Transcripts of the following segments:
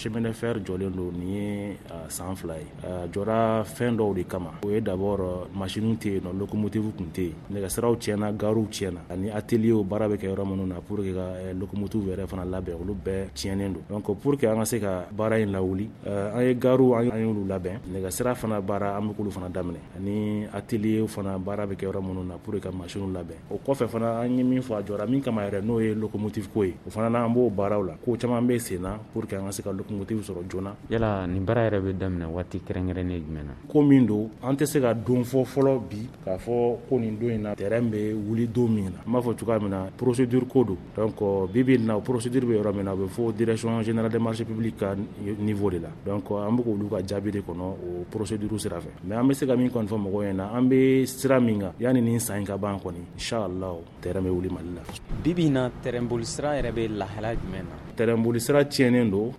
Chemin de fer jɔlen don nin ye san 2 ye. A jɔra fɛn dɔw de kama. O ye d'abord, machine tɛ yen nɔ, locomotive tun tɛ yen, nɛgɛsiraw tiɲɛna, garew tiɲɛna, ani atelier baara bɛ kɛ yɔrɔ minnu na pour que ka locomotive yɛrɛ fana labɛn, olu bɛɛ tiɲɛnen don. Donc pour que an ka se ka baara in lawuli, an ye garew, an y'olu labɛn, nɛgɛsira fana baara, an bɛ k'olu fana daminɛ, ani atelier fana baara bɛ kɛ yɔrɔ minnu na pour que ka machine labɛn. O kɔfɛ fana, an ye min fɔ, a jɔra min kama yɛrɛ, n'o ye locomotive ko ye, o fana na, an b'o baaraw la. Ko caman bɛ sen na pour que an ka se ka locomotive sɔrɔ joona. Yala nin baara yɛrɛ bɛ daminɛ waati kɛrɛnkɛrɛnnen jumɛn na? Ko min don, an tɛ se ka don fɔ fɔlɔ bi k'a fɔ ko nin don in na, terrain bɛ wuli don min na. N b'a fɔ cogoya min na, procédure ko don. Donc bi bi in na, procédure bɛ yɔrɔ min na, a bɛ fɔ Direction générale des marchés publics ka niveau de la. Donc an bɛ k'olu ka jaabi de kɔnɔ o procédure sira fɛ. Mais an bɛ se ka min kɔni fɔ mɔgɔw ɲɛna, an bɛ sira min kan, yanni nin san in ka ban kɔni, inchallah, terrain bɛ wuli Mali la. Bi bi in na, terrain boli sira yɛrɛ bɛ lahala jumɛn na? Terrain boli sira tiɲɛnen don.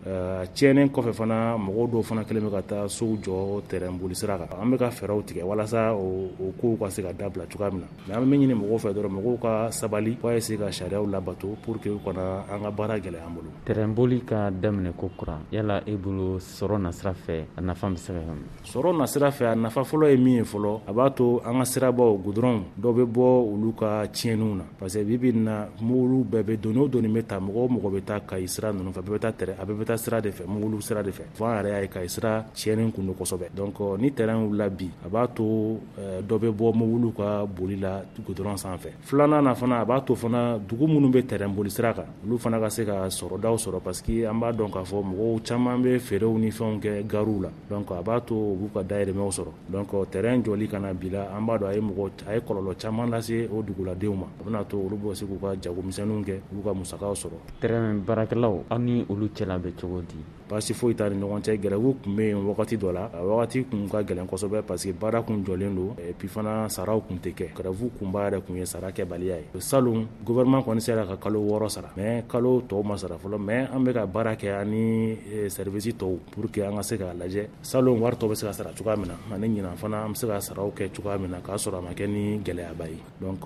Tiɲɛnen kɔfɛ fana, mɔgɔw dɔw fana kɛlen bɛ ka taa sow jɔ terrain boli sira kan. An bɛ ka fɛɛrɛw tigɛ walasa o kow ka se ka dabila cogoya min na. Mais an bɛ min ɲini mɔgɔw fɛ dɔrɔn, mɔgɔw ka sabali, u ka essayer ka sariyaw labato pour que u kana an ka baara gɛlɛya an bolo. Terrain boli ka daminɛ ko kura, yala e bolo, sɔrɔ nasira fɛ, a nafa bɛ se ka kɛ? Sɔrɔ nasira fɛ, a nafa fɔlɔ ye min ye fɔlɔ, a b'a to an ka sirabaw, goudron dɔw bɛ bɔ olu ka tiɲɛniw na, parce que bi bi in na, mobili bɛɛ bɛ doni o doni bɛ ta, mɔgɔ o mɔgɔ bɛ taa Kayi sira ninnu fɛ, bɛɛ bɛ taa terrain, a bɛɛ bɛ taa sira de fɛ, mobili sira de fɛ. Fo an yɛrɛ y'a ye Kayi sira tiɲɛnen kun don kosɛbɛ. Donc ni terrain wulila bi, a b'a to dɔ bɛ bɔ mobiliw ka boli la goudron sanfɛ. Filanan na fana, a b'a to fana dugu minnu bɛ terrain boli sira kan, olu fana ka se ka sɔrɔdaw sɔrɔ, parce que an b'a dɔn k'a fɔ mɔgɔw caman bɛ feerew ni fɛnw kɛ garew la. Donc a b'a to u b'u ka dahirimɛw sɔrɔ. Donc terrain jɔli ka na bi la, an b'a dɔn a ye mɔgɔ, a ye kɔlɔlɔ caman lase o duguladenw ma. A bɛna to olu bɛ se k'u ka jagomisɛnninw kɛ, u b'u ka musakaw sɔrɔ. Terrain baarakɛlaw, aw ni olu cɛla bɛ cogo di? Baasi foyi t'a ni ɲɔgɔn cɛ. Grève tun bɛ yen wagati dɔ la, a wagati tun ka gɛlɛn kosɛbɛ, parce que baara kun jɔlen don, et puis fana saraw tun tɛ kɛ. Grève kunba yɛrɛ tun ye sara kɛbaliya ye. Salon, gouvernement kɔni sera ka kalo 6 sara, mais kalo tɔw ma sara fɔlɔ. Mais an bɛ ka baara kɛ ani service tɔw pour que an ka se k'a lajɛ salon wari tɔ bɛ se ka sara cogoya min na, ani ɲinan fana an bɛ se ka saraw kɛ cogoya min na k'a sɔrɔ a ma kɛ ni gɛlɛyaba ye. Donc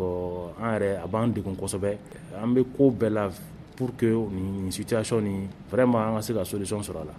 an yɛrɛ, a b'an degun kosɛbɛ. An bɛ ko bɛɛ la pour que nin situation nin, vraiment, an ka se ka solution sɔrɔ a la.